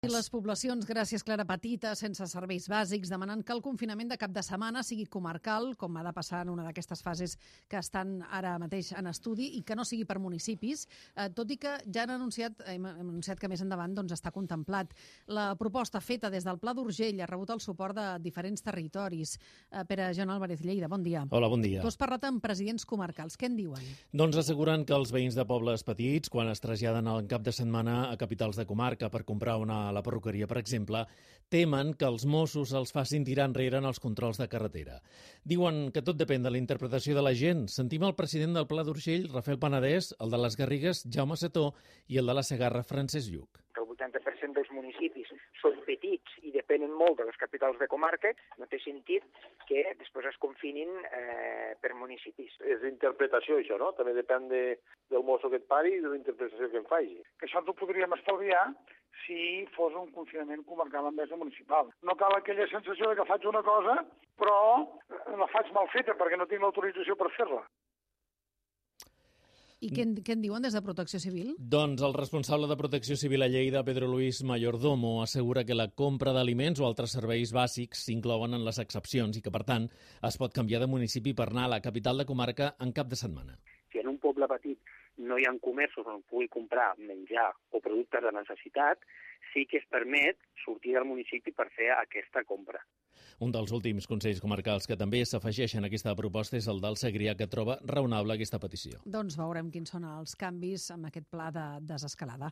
I les poblacions, gràcies Clara, petites, sense serveis bàsics, demanen que el confinament de cap de setmana sigui comarcal, com ha de passar en una d'aquestes fases que estan ara mateix en estudi, i que no sigui per municipis, tot i que ja hem anunciat que més endavant està contemplat. La proposta feta des del Pla d'Urgell ha rebut el suport de diferents territoris. Pere Joan Álvarez Lleida, bon dia. Hola, bon dia. Tu has parlat amb presidents comarcals. Què en diuen? Doncs asseguren que els veïns de pobles petits, quan es traslladen al cap de setmana a capitals de comarca per comprar a la perruqueria, per exemple, temen que els Mossos els facin tirar enrere en els controls de carretera. Diuen que tot depèn de la interpretació de la gent. Sentim el president del Pla d'Urgell, Rafael Panadès, el de les Garrigues, Jaume Setó, i el de la Segarra, Francesc Lluc. El 80% dels municipis són petits i depenen molt de les capitals de comarca, no té sentit que després es confinin per municipis. És d'interpretació, això, no? També depèn del mosso que et pari i de la interpretació que en faci. Que això ens ho podríem estalviar si fos un confinament comarcal en vez de municipal. No cal aquella sensació de que faig una cosa, però la faig mal feta perquè no tinc l'autorització per fer-la. I què en diuen des de Protecció Civil? Doncs el responsable de Protecció Civil a Lleida, Pedro Luis Mayordomo, assegura que la compra d'aliments o altres serveis bàsics s'inclouen en les excepcions i que, per tant, es pot canviar de municipi per anar a la capital de comarca en cap de setmana. Si en un poble petit no hi ha comerços on pugui comprar menjar o productes de necessitat, sí que es permet sortir del municipi per fer aquesta compra. Un dels últims consells comarcals que també s'afegeixen a aquesta proposta és el del Segrià, que troba raonable aquesta petició. Doncs veurem quins són els canvis amb aquest pla de desescalada.